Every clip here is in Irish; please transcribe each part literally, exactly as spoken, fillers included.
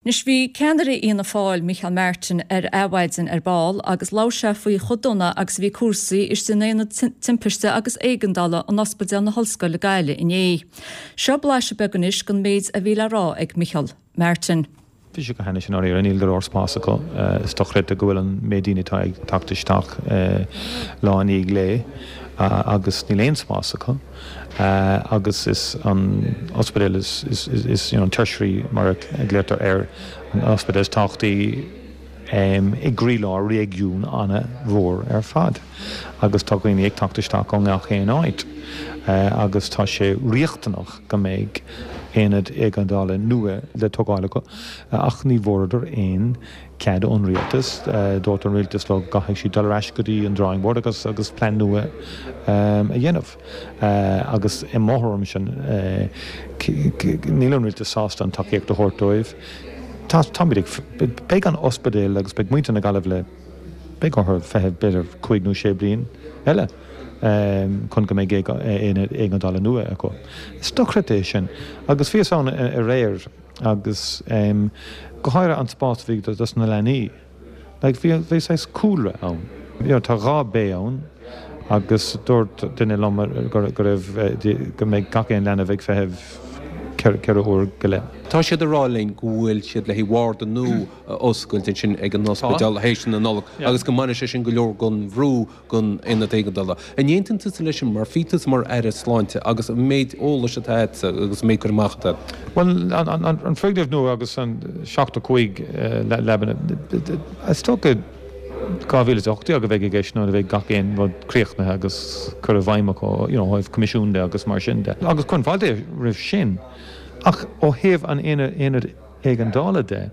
Anois bhí ceannaire Fhianna Fáil Micheál Martin ar Adhmhaidin ar ball agus labhair sé faoi chomh dona agus a bhí cúrsaí istigh in aonad timpiste agus éigeandála in Ospidéal na hOllscoile Gaillimh inné. Seo blaiseadh beag anois den méid a bhí le rá ag Micheál Martin. Bhí sé go hainnis in áirithe níl go leor spás acu is dochreidte go bhfuil an méid daoine atá ag teacht isteach lá i ndiaidh lae agus níl aon spás acu agus is an ospidéal is is is you know, tertiary mar a glaotar air an ospidéal is tábhachtaí i gcroílár réigiún an-mhór ar fad. agus tá daoine ag teacht isteach ó gach aon áit. agus tá sé riachtanach go mbeidh aonad éigeandála nua le tógáil acu ach ní bhfuaireadar aon cead ón rialtas dúirt an rialtas leo go gcaithfidh siad dul ar ais go dtí an drawing board agus agus plean nua a dhéanamh. agus i mo thuairim sin níl an rialtas sásta an tacaíocht a thabhairt dóibh. Tá ag beidh an ospidéal agus beidh muintir na Gaillimhe beidh orthu feitheamh b'fhéidir cúig nó sé bliain eile. chun go mbeidh aonad éigeandála nua acu. Is dochreidte é sin agus bhíos ann aréir agus go háirithe an spás a bhí dos na leanaí. Like bhí bhí saghas cúlra ann. You know, tá dhá bay ann agus dúirt duine liom go raibh go mbeidh gach aon leanbh ag feitheamh ceithre uair go leith. Tá siad ag rá linn go bhfuil siad le warda nua a oscailt ansin ag an ospidéal théis na Nollag agus go mbainfidh sé sin go leor den bhrú den aonad éigeandála. An aontaíonn tusa leis sin mar bhí tusa mar aire sláinte agus an méid eolais atá agat agus an méid cur amach atá. Well an foirgneamh nua agus an seachtó cúig leaba is dócha dhá mhíle is a hocht déag a bheidh i gceist nuair a bheidh gach aon rud críochnaithe agus cur i bhfeidhm acu you know, ó thaobh coimisiún de agus mar sin de. Agus cuirim fáilte roimh sin ach ó thaobh an aonad éigeandála de,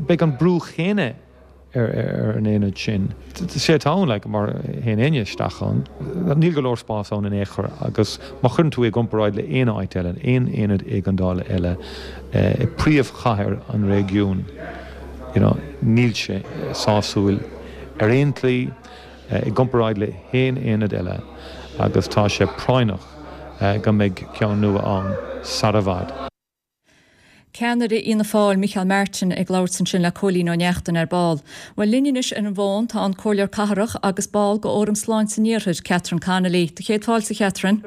beidh an brú chéanna ar ar an aonad sin. Sé atá ann like, mar théann éinne isteach ann, níl go leor spás ann in aon chor agus má chuireann tú i gcomparáid le aon áit eile, aon aonad éigeandála eile i príomhchathair an réigiúin, you know, níl sé sásúil ar aon tslí i gcomparáid le haon aonad eile agus tá sé práinneach go mbeidh ceann nua ann sar i bhfad. Ceannaire Fhianna Fáil Micheál Martin ag labhairt ansin le Cóilín Ó Neachtain ar ball. Well linn anois ar an bhfón tá an Comhairleoir Cathrach agus ball de Fhóram Sláinte an Iarthair, Catherine Connolly. Tá céad fáilte Catherine.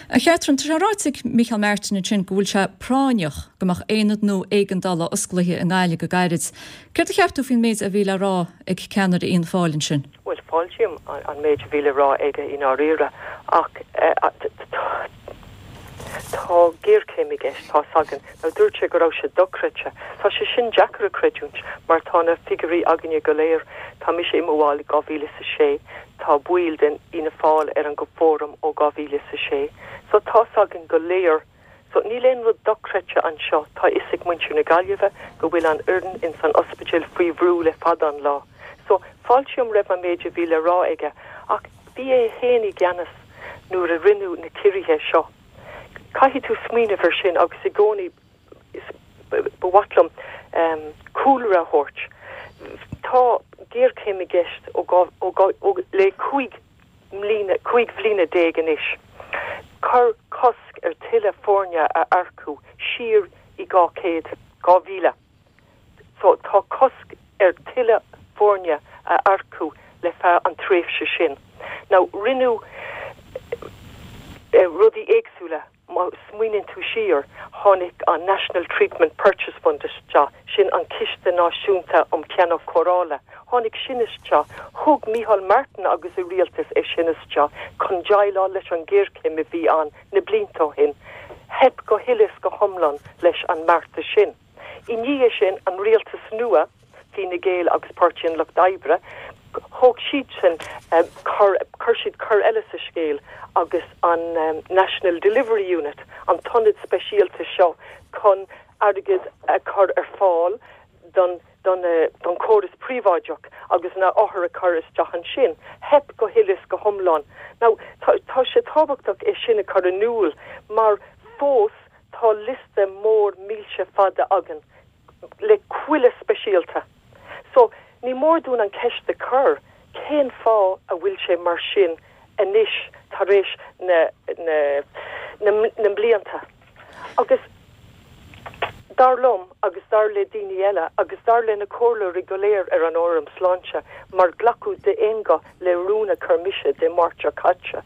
A Catherine, tá sé ráite ag Micheál Martin ansin go bhfuil sé práinneach go mbeadh aonad nua éigeandála osclaithe i nGaillimh go gairid. Céard a cheap tú faoin méid a bhí le rá ag ceannaire Fhianna Fáil ansin? Well fáiltím an méid a bhí le rá aige i ndáiríre ach tá géarchéim i gceist tá againn nó dúirt sé go raibh sé dochreidte. Tá sé sin deacair a chreidiúint mar tá na figiúirí againne go léir tá mise i mo bhall dhá mhíle sa sé tá baill den Fhianna Fáil ar an go fóram ó dhá mhíle sa sé. So tá againn go léir So níl aon rud dochreidte anseo tá fhios ag muintir na Gaillimhe go bhfuil an fhoireann in san ospidéal faoi bhrú le fada an lá. So fáiltím roimh an méid a bhí le rá aige ach bhí é féin i gceannas nuair a rinneadh na ciorruithe seo. Caithfidh tú smaoineamh ar sin agus i gcónaí ba mhaith liom um, cúlra a thabhairt. Tá géarchéim i gceist ó, ó, ó, le cúig mbliana cúig bhliana déag anois. Cuireadh cosc ar tuilleadh foirne a earcú siar i dhá céad dhá mhíle. So tá cosc ar tuilleadh foirne a earcú le feadh an tréimhse sin. Now rinneadh uh, rudaí éagsúla má smaoiníonn tú siar tháinig an National Treatment Purchase Fund isteach sin an Ciste Náisiúnta um Cheannach Cóireála. Tháinig sin isteach thug Micheál Martin agus a rialtas é sin isteach chun déileáil leis an géarchéim a bhí ann na blianta ó shin. Theip go huile is go hiomlán leis an mbeartas sin. I ndiaidh sin an rialtas nua Fine Gael agus Páirtí an Lucht Oibre, thóg siad sin um, chuir siad cor eile sa scéal agus an um, National Delivery Unit an t-ionad speisialta seo chun airgead a chur ar fáil don don uh, don córas príobháideach agus na othair a chur isteach ansin. Theip go huile is go hiomlán. Now tá, tá sé tábhachtach é sin a chur in iúl mar fós tá liosta mór mílte fada againn le chuile speisialta. So ní mór dúinn an ceist a chur cén fáth a bhfuil sé mar sin anois tar éis na na na, na blianta. Agus dar liom agus dar le daoine eile agus dar le na comhairleoirí go léir ar an Fhóram Sláinte, mar glacadh d'aon ghuth le rún a chuir mise Dé Máirt seo caite,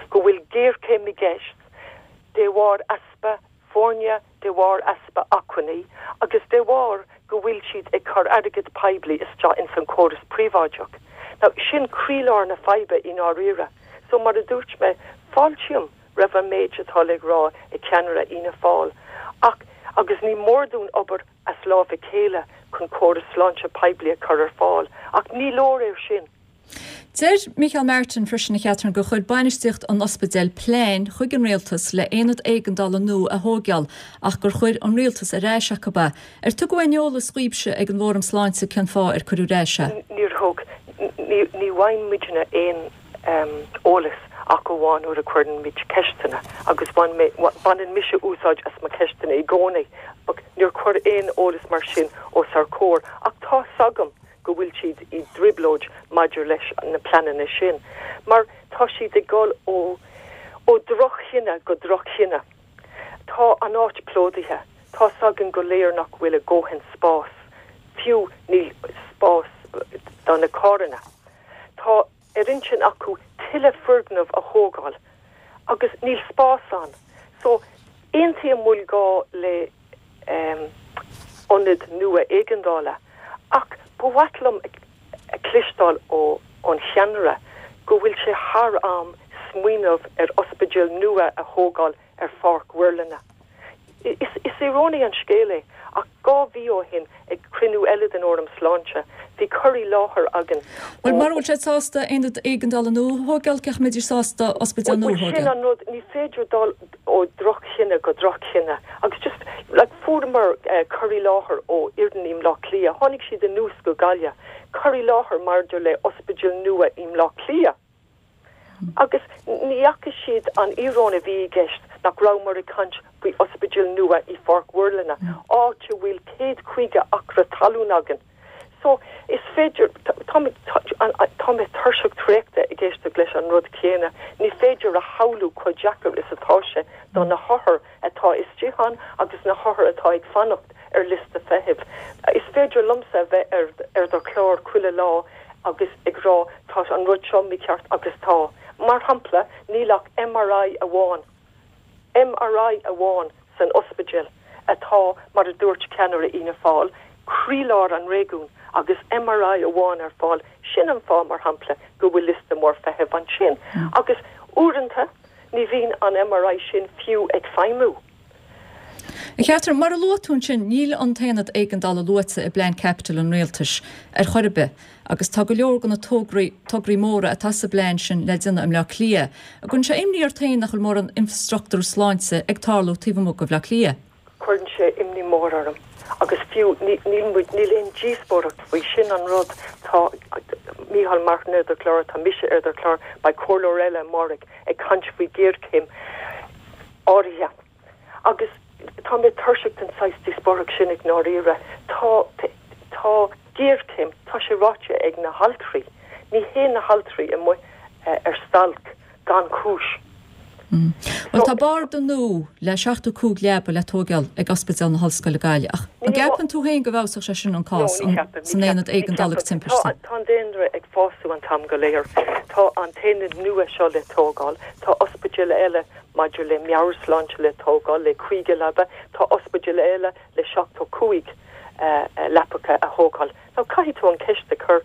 go bhfuil géarchéim i gceist de bharr easpa foirne, de bharr easpa acmhainní agus de bharr go bhfuil siad ag cur airgead poiblí isteach ins an córas príobháideach. Now sin croílár na faidhbe i ndáiríre. So mar a dúirt mé, fáiltím roimh an méid atá le rá ag ceannaire Fhianna Fáil. Ach agus ní mór dúinn obair as lámh a chéile chun córas sláinte poiblí a chur ar fáil, ach ní leor é sin. Deir Micheál Martin freisin a Chatherine gur chuir bainistíocht an ospidéil plean chuig an rialtas le aonad éigeandála nua a thógáil ach gur chuir an rialtas ar ais chucu é. Ar tugadh aon eolas daoibhse ag an bhFóram Sláinte cén fáth ar cuireadh ar ais é? Níor thug ní ní bhfaigheann muidne aon eolas ach amháin nuair a chuireann muid ceisteanna agus baineann mise úsáid as mo cheisteanna i gcónaí. Níor chuir aon eolas mar sin os ár gcomhair ach tá a fhios agam go bhfuil siad i dtrioblóid maidir leis na pleananna sin, mar tá siad ag dul ó ó dhroch-chinneadh go droch-chinneadh. Tá an áit plódaithe, tá a fhios againn go léir nach bhfuil a ndóthain spás, fiú níl spás do na carranna. Tá ar intinn acu tuilleadh foirgneamh a thógáil agus níl spás ann. So aontaím go bhfuil gá le um, ionad nua éigeandála ach ba mhaith liom a chloisteáil ó ón cheannaire go bhfuil sé thar am smaoineamh ar ospidéal nua a thógáil ar Pháirc Mhuirlinne. Is, is íorónach an scéal é ach dhá mhí ó shin ag cruinniú eile den Fhóram Sláinte, bhí cur i láthair againn. Well mura bhfuil sé sásta aonad éigeandála nua a thógáil cé mbeidh sásta ospidéal nua a Sin thógáil. an rud ní féidir dul ó droch-chinneadh go droch-chinneadh agus just like, fuaireamar uh, cur i láthair ó fhoireann i mBleá Cliath, tháinig siad anuas go Gaillimh, cur i láthair maidir le ospidéal nua i mBleá Cliath. Agus ní fhaca siad an íoróin a bhí i gceist nach rabhamar ag caint faoi ospidéal nua i Pháirc Mhuirlinne, áit a bhfuil céad caoga acra talún againn. So is féidir tá mé tuirseach traochta ag éisteacht leis an rud céanna, ní féidir a shamhlú chomh deacair is atá sé do na hothair atá istigh ann agus na hothair atá ag fanacht ar liosta feithimh. Is féidir liomsa bheith ar, ar do chlár chuile lá agus ag rá tá an rud seo mícheart agus tá. Mar shampla níl ach MRI amháin. MRI amháin san ospidéal atá mar a dúirt ceannaire Fhianna Fáil, croílár an réigiúin agus MRI amháin ar fáil sin an fáth mar shampla go bhfuil liosta mór feithimh ansin. Mm. Agus uaireanta ní bhíonn an MRI sin fiú ag feidhmiú. Cheatar mar a luaigh tú ansin níl an t-aonad éigeandála luaite i bplean caipitil an rialtais ar chor ar bith, agus tá go leor de na tograí tograí móra atá sa bplean sin le déanamh i mBleá Cliath. An gcuireann sé imní ort féin nach bhfuil mórán infrastruchtúr sláinte ag tarlú taobh amuigh de Bhleá Cliath. Cuireann sé imní mór orm. agus fiú níl níl aon díospóireacht faoi sin an rud tá Micheál Martin ar do chlár tá mise ar do chlár beidh comhairleoir eile amárach ag caint faoi ghéarchéim áirithe. Agus tá mé tuirseach den saghas díospóireacht sin i ndáiríre tá tá géarchéim tá sé ráite ag na haltraí ní théann na haltraí amuigh uh, ar stailc gan chúis. Mm. Well tá barda nua le seachtó cúig leaba le tógáil ag Ospidéal na hOllscoile Gaillimh ach an gceapann tú féin go bhfeabhsódh sé sin an cás san aonad éigeandála timpiste. Tá an daonra ag fás an t-am go léir. Tá an t-aonad nua seo le tógáil, Tá ospidéal eile maidir le meabhairshláinte le tógáil le caoga leaba, tá ospidéal eile le seachtó cúig uh, leapacha a thógáil. Now caithfidh tú an ceist a chur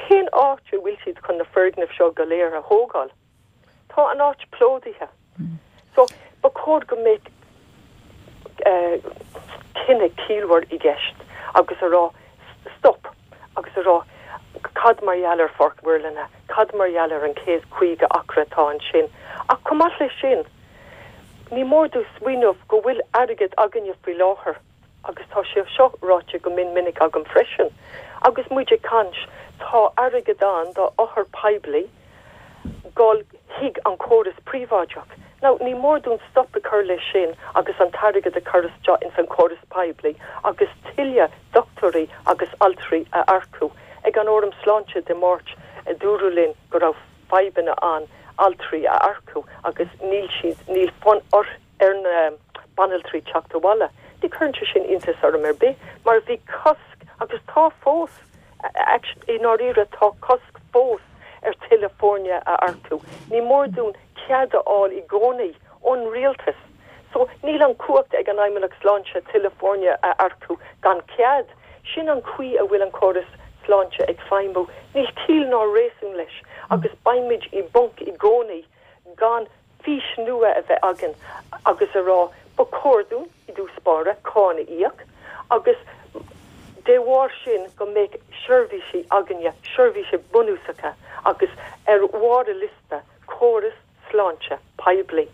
cén áit a bhfuil siad chun na foirgnimh seo go léir a thógáil. Tá an áit plódaithe. Mm. So ba chóir go mbeadh uh, cinneadh ciallmhar i gceist agus a rá stop agus a rá cad mar gheall ar Pháirc Mhuirlinne, cad mar gheall ar an céad caoga acra atá ansin. Ach chomh maith leis sin, ní mór dúinn smaoineamh go bhfuil airgead againne faoi láthair agus tá sé seo ráite go min minic agam freisin. Agus muid ag caint tá airgead ann do othair poiblí dul chuig an córas príobháideach. Now ní mór dúinn stop a chur leis sin agus an t-airgead a chur isteach in san córas poiblí agus tuilleadh dochtúirí agus altraí a earcú. Ag an Fhóram Sláinte Dé Máirt a dúradh linn go raibh fadhbanna ann altraí a earcú agus níl siad níl fonn ar ar na banaltraí teacht abhaile. Ní cuireann sé sin iontas orm ar bith mar bhí cosc agus tá fós i ndáiríre tá cosc fós ar tuilleadh foirne a earcú. Ní mór dúinn cead a fháil i gcónaí ón rialtas. So níl an cumhacht ag an Fheidhmeannacht Sláinte tuilleadh foirne a earcú gan cead. Sin an chaoi a bhfuil an córas sláinte ag feidhmiú. Níl ciall ná réasún leis agus beimid i bponc i gcónaí gan fís nua a bheith againn agus a rá ba chóir dúinn i dtús báire cáin a íoc agus de bharr sin go mbeidh seirbhísí againne, seirbhísí bunúsacha agus ar bharr an liosta córas sláinte poiblí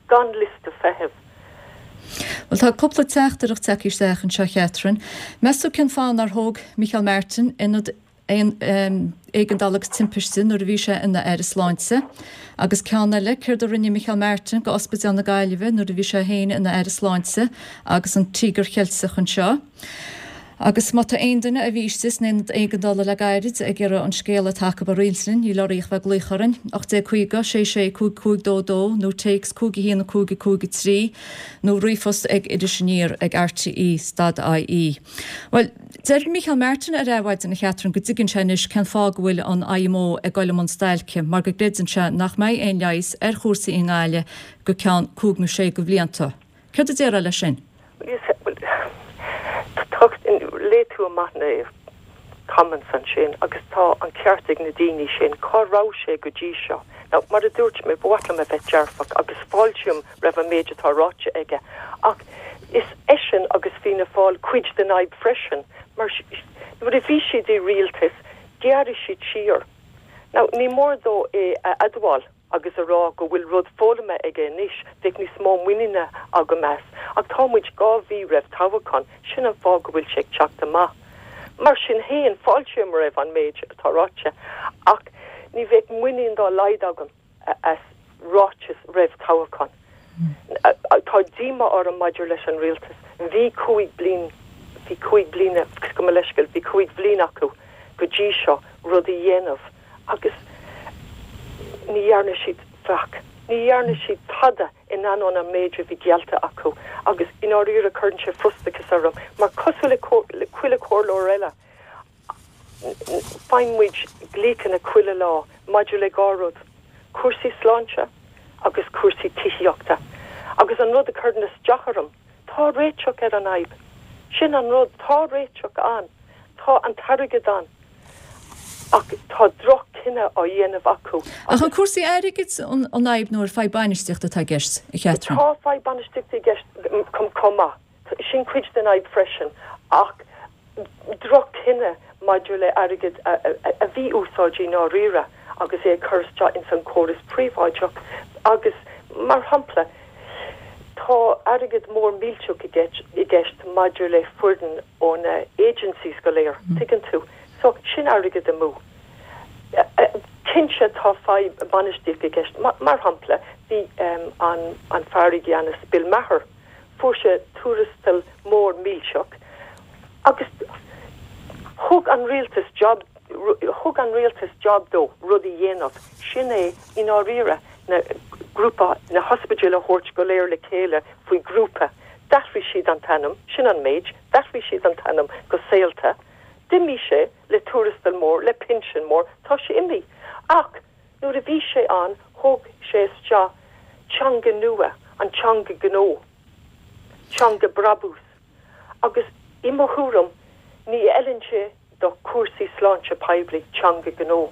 gan liosta feithimh. Bhuel tá cúpla teachtaireacht tagtha isteach anseo Catherine. Meas tú cén fáth nár thóg Micheál Martin ionad éigeandála agus timpiste nuair a bhí sé ina Aire Sláinte. Agus ceann eile céard a rinne Micheál Martin go Ospidéal na Gaillimhe nuair a bhí sé féin ina Aire Sláinte agus an Tíogar Cheilteach anseo. Agus má tá aon duine a bhí istigh san aonad éigeandála le gairid ag iarraidh an scéal atá acu a roinnt linn, níl oraibh ach bheith ag glaoch orainn, ocht déag caoga, sé sé cúig cúig dó dó nó téacs cúig a haon cúig cúig a trí nó ríomhphost ag Iris Aniar ag rte stad ie. Bhuel, deir Micheál Martin ar Adhmhaidin a Chatherine go dtuigeann sé anois cén fáth go bhfuil an IMO ag dul i mbun stailce mar go gcreideann sé nach mbeidh aon leigheas ar chúrsaí i nGaillimh go ceann cúig nó sé de bhlianta. Céard a déarfá leis sin? Léigh tú amach na comments ansin agus tá an ceart ag na daoine sin cá raibh sé go dtí seo. Now, mar a dúirt mé ba mhaith liom a bheith dearfach agus fáiltím roimh an méid atá ráite aige. Ach is eisean agus Fianna Fáil cuid den fhadhb freisin, mar nuair a bhí siad i rialtas, ghearr siad siar. Now, ní mór dó é a admháil agus a rá go bhfuil rud foghlamtha aige anois, bheadh níos mó muiníne agam as, ach tá muid dhá mhí roimh toghchán, sin an fáth go bhfuil sé ag teacht amach. Mar sin féin, fáiltím roimh an méid atá ráite, ach ní bheadh muinín dá laghad agam as ráiteas roimh toghchán. Tá díomá orm maidir leis an rialtas. Bhí cúig bliain, bhí cúig bliana, gabh mo leithscéal, bhí cúig bhliain acu go dtí seo rud a dhéanamh agus ní dhearna siad faic. Ní dhearna siad tada in ainneoin an méid a bhí geallta acu agus i ndáiríre cuireann sé frustrachas orm mar cosúil le chuile chomhairleoir eile faigheann muid glaochanna chuile lá maidir le dhá rud, cúrsaí sláinte agus cúrsaí tithíochta. Agus an rud a chuireann isteach orm, tá réiteach ar an fhadhb. Sin an rud, tá réiteach ann. Tá an t-airgead ann. Ach tá droch-chinneadh á dhéanamh acu. Ach an cúrsaí airgid an fhadhb nó an fadhb bainistíochta atá i gceist, a Chatherine? Tá fadhb bainistíochta i gceist chomh maith. Sin cuid den fhadhb freisin. Ach droch-chinneadh maidir le airgead a mhí-úsáid i ndáiríre agus é a chur isteach ins an córas príobháideach agus mar shampla tá airgead mór millteach i gceist maidir le foireann ó na agencies go léir, tuigeann tú. So sin airgead amú. Cinnte tá fadhb bainistíochta i gceist. Mar shampla bhí an an fear i gceannas Bill Maher, fuair sé tuarastal mór millteach agus thug an rialtas job thug an rialtas job dó rud a dhéanamh. Sin é i ndáiríre na grúpa na hospidéil a thabhairt go léir le chéile faoi grúpa. D'athraigh siad an t-ainm, sin an méid, d'athraigh siad an t-ainm go Saolta. D'imigh sé le tuarastal mór, le pinsean mór, tá sé imithe. Ach nuair a bhí sé ann thóg sé isteach teanga nua, an teanga gnó, teanga brabús. Agus i mo thuairim ní fheileann sé do chúrsaí sláinte poiblí teanga gnó.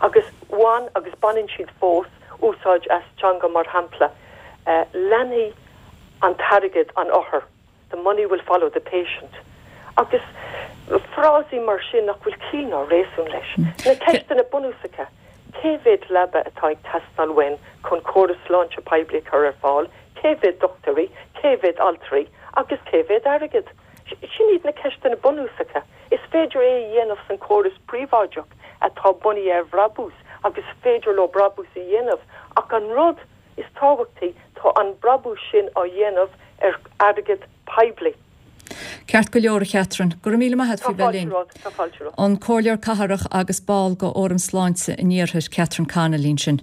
Agus bhain agus baineann siad fós úsáid as teanga mar shampla leanfaidh an t-airgead an othar, the money will follow the patient. Agus frásaí mar sin nach bhfuil ciall ná réasún leis. Na ceisteanna bunúsacha, cé mhéad leaba atá ag teastáil uainn chun córas sláinte poiblí a chur ar fáil, cé mhéad dochtúirí, cé mhéad altraí agus cé mhéad airgead? Sin iad na ceisteanna bunúsacha. Is féidir é a dhéanamh san córas príobháideach atá bunaithe ar bhrabús agus is féidir leo brabús a dhéanamh ach an rud is tábhachtaí tá an brabús sin á dhéanamh ar airgead poiblí. Ceart go leor a Chatherine, go raibh míle maith agat faoi bheith linn. Tá fáilte romhat. An Comhairleoir Cathrach agus ball de Fhóram Sláinte an Iarthair, Catherine Connolly ansin.